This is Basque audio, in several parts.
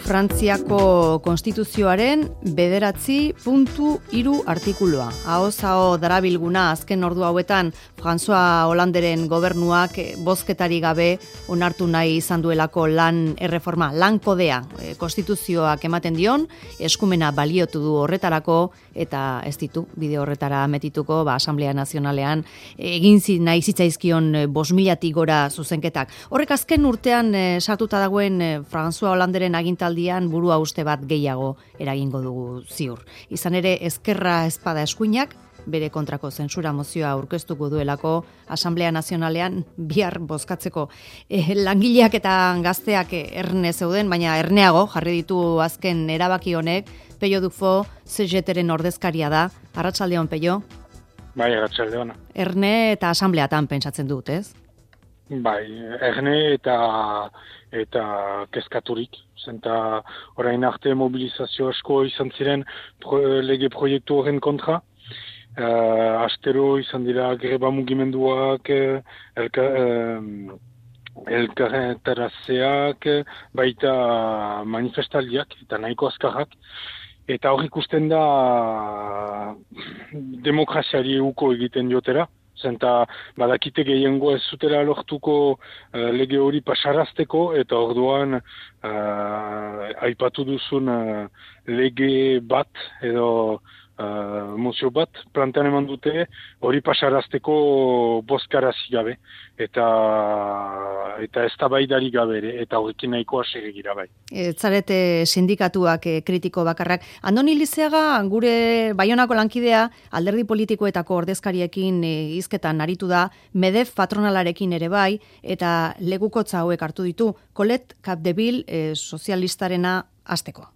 Frantziako konstituzioaren 9.3 artikulua. Ahoz-aho darabilguna azken ordu hauetan François Hollanderen gobernuak bozketari gabe onartu nahi izan duelako lan erreforma, lan kodea konstituzioak ematen dion, eskumena baliotu du horretarako eta ez ditu bide horretara metituko Asamblea Nazionalean egin nahi zitzaizkion 5.000 gora zuzenketak. Horrek azken urtean sartuta dagoen François Hollanderen agintaldian burua uste bat gehiago eragingo dugu ziur. Izan ere ezkerra espada eskuinak bere kontrako zentsura mozioa aurkeztuko duelako Asamblea Nazionalean bihar bozkatzeko. Langileak eta gazteak erne zeuden, baina erneago jarri ditu azken erabaki honek. Peio Dufo, CGT-ren ordezkaria da. Arratsaldeon, Peio? Bai, arratsaldeon. Erne eta asambleatan pentsatzen dut, ez? Bai, erne eta kezkaturik. Zenta orain arte mobilizazio asko izan ziren lege proiektu horren kontra. Astero izan dira greba mugimenduak, elkarretarazeak, baita manifestaldiak eta nahiko azkarrak. Eta hor ikusten da demokraziari uko egiten diotera. Zenta badakite gehiengo ez zutela lortuko lege hori pasarazteko eta orduan aipatu duzun lege bat edo mozio bat plantean eman dute hori pasarazteko bozkarazi gabe eta eztabaidari gabe ere eta horrekin nahikoa segegira bai. Zarete sindikatuak kritiko bakarrak. Andoni Lizeaga gure Baionako lankidea alderdi politikoetako ordezkariekin hizketan aritu da, MEDEF patronalarekin ere bai eta legukotza hauek hartu ditu. Colette Capdeville sozialistarena hasteko.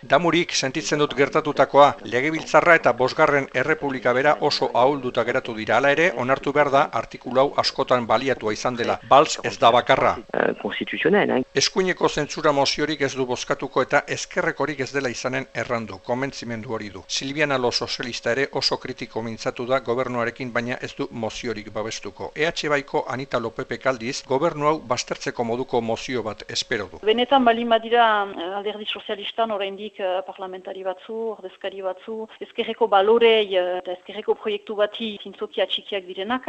Damurik sentitzen dut gertatutakoa, legebiltzarra eta 5. Errepublika bera oso ahulduta geratu dira. Hala ere, onartu behar da artikulu hau askotan baliatua izan dela. Balz ez da bakarra. Eskuineko zentsura moziorik ez du bozkatuko eta ezkerrekorik ez dela izanen errandu, konbentzimendu hori du. Silviana Lo sozialista ere oso kritiko mintzatu da gobernuarekin, baina ez du moziorik babestuko. EH Baiko Anita Lopepek aldiz, gobernu hau baztertzeko moduko mozio bat espero du. Benetan balin badira alderdi sozialistan oraindik parlamentari batzu, ordezkari batzu, ezkerreko balorei eta ezkerreko proiektu bati zintzoki atxikiak direnak,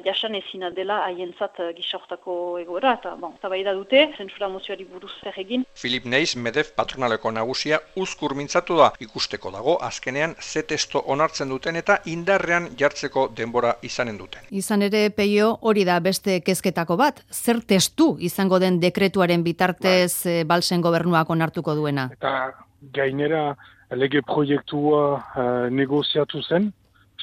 jasan ezina dela haientzat gisa-hortako egoera, eta tabaida dute, zentsura mozioari buruz zer egin. Filip Neiz, MEDEF patronaleko nagusia, uzkur mintzatu da, ikusteko dago, azkenean ze testo onartzen duten eta indarrean jartzeko denbora izanen duten. Izan ere, Peio, hori da beste kezketako bat, zer testu izango den dekretuaren bitartez Balzen gobernuak onartuko duena. Eta gainera lege proiektua negoziatu zen,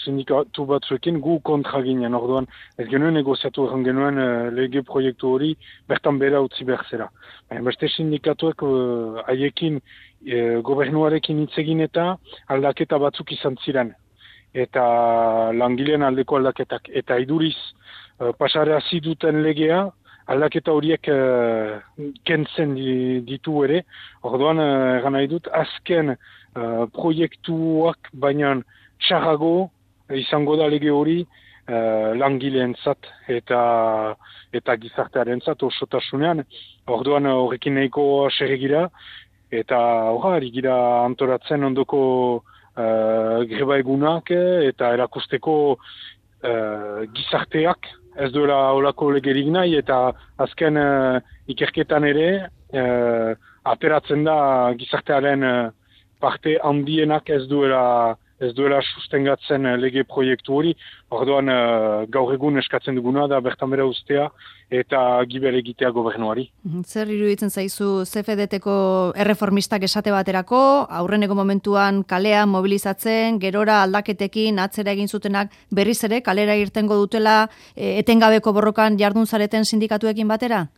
sindikatu batzuekin gu kontra ginen, orduan ez genuen negoziatu egon genuen lege proiektu hori bertan bera utzi behar zera. Beste sindikatuek haiekin gobernuarekin hitz egin eta aldaketa batzuk izan ziren. Eta langileen aldeko aldaketak. Eta iduriz pasarazi duten legea aldaketa horiek kentzen ditu ere. Orduan, egan nahi dut, azken proiektuak baina txarrago izango da lege hori langileentzat eta gizartearentzat osotasunean. Orduan, horrekin nahiko seregira eta horri gira antoratzen ondoko greba egunak eta erakusteko gizarteak ez duela olako legerik nahi eta azken ikerketan ere ateratzen da gizartearen parte handienak ez duela sustengatzen lege proiektu hori. Orduan gaur egun eskatzen duguna da bertan bera ustea eta gibel egitea gobernuari. Zer iruditzen zaizu CFDT-ko erreformistak esate baterako, aurreneko momentuan kalean mobilizatzen, gerora aldaketekin atzera egin zutenak berriz ere kalera irtengo dutela etengabeko borrokan jardun zareten sindikatuekin batera?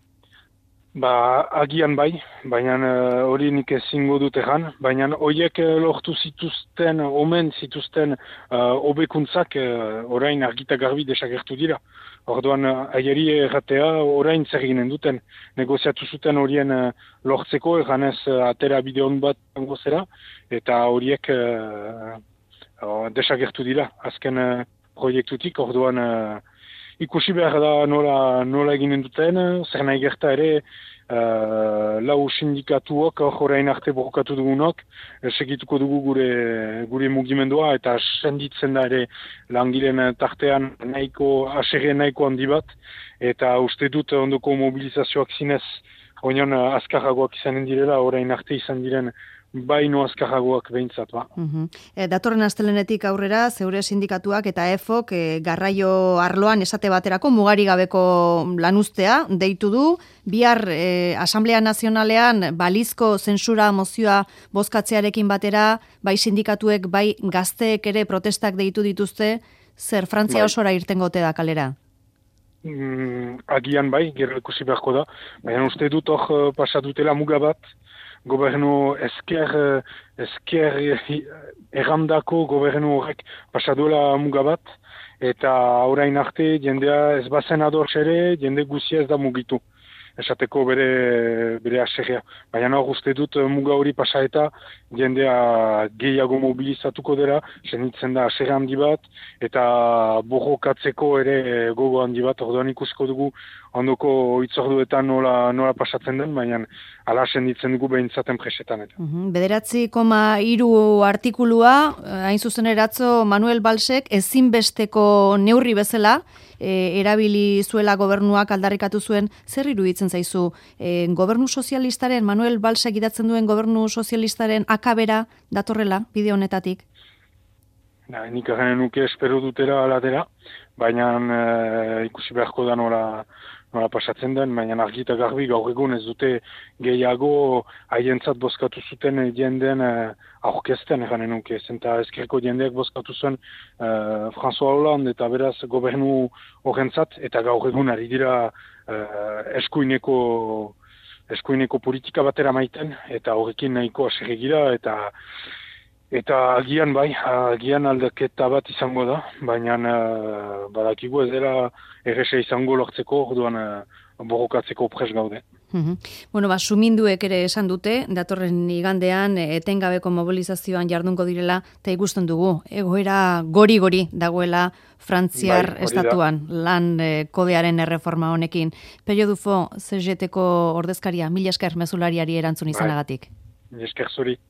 Agian bai, baina hori nik ezingo dut egan, baina horiek lortu zituzten, omen zituzten hobekuntzak orain argita garbi desagertu dira. Orduan, aieri erratea orain zer ginen duten, negoziatu zuten horien lortzeko, eganez atera bideon bat gozera, eta horiek desagertu dira, azken proiektutik, orduan ikusi behar da nola eginen duten, zer nahi gerta ere, lau sindikatuok, orain arte borrokatu dugunok, segituko dugu gure mugimendua, eta senditzen da ere langileen tartean aserre nahiko handi bat, eta uste dut ondoko mobilizazioak zinez, oinon azkarragoak izanen direla, orain arte izan diren baino azkarragoak behintzat, ba. Datorren astelenetik aurrera, zeure sindikatuak eta EFOK garraio arloan esate baterako mugari gabeko lanuztea deitu du, bihar Asamblea Nazionalean balizko zentsura mozioa bozkatzearekin batera, bai sindikatuek, bai gazteek ere protestak deitu dituzte, zer Frantzia osora irtengote da kalera? Agian bai, gero ikusi beharko da, baina uste dut hor pasatutela muga bat, gobernu esker errandako gobernu horrek pasaduela muga bat, eta orain arte jendea ez bazen adorz ere, jende guzia ez da mugitu. Esateko bere aserrea. Baina hor uste dut muga hori pasa eta jendea gehiago mobilizatuko dela, senitzen da aserre handi bat, eta borrokatzeko ere gogo handi bat, orduan ikusiko dugu ondoko hitzorduetan nola pasatzen den, baina ala senditzen dugu behintzaten presetan. 9,3 artikulua, hain zuzen eratzo Manuel Valsek ezinbesteko neurri bezala, erabili zuela gobernuak aldarrikatu zuen, zer iruditzen zaizu? Gobernu sozialistaren, Manuel Valsek idatzen duen gobernu sozialistaren akabera datorrela, bide honetatik? Nik garen nuke espero dutera alatera, baina ikusi beharko da nola pasatzen den, baina argi eta garbi gaur egun ez dute gehiago haientzat bozkatu zuten jendeen aurkezten eranen nuke. Zenta ezkerreko jendeak bozkatu zuen François Hollande eta beraz gobernu horrentzat, eta gaur egun ari dira eskuineko politika batera maiten, eta horrekin nahiko aserregira, eta agian aldaketa bat izango da, baina badakigu ez dela erresa izango lortzeko, orduan borrokatzeko pres gaude. Suminduek ere esan dute, datorren igandean etengabeko mobilizazioan jardungo direla, eta ikusten dugu, egoera gori dagoela Frantziar estatuan, lan kodearen erreforma honekin. Pello Dufo, CGT-ko ordezkaria, mila esker mezulariari erantzun izanagatik. Mila esker zuri.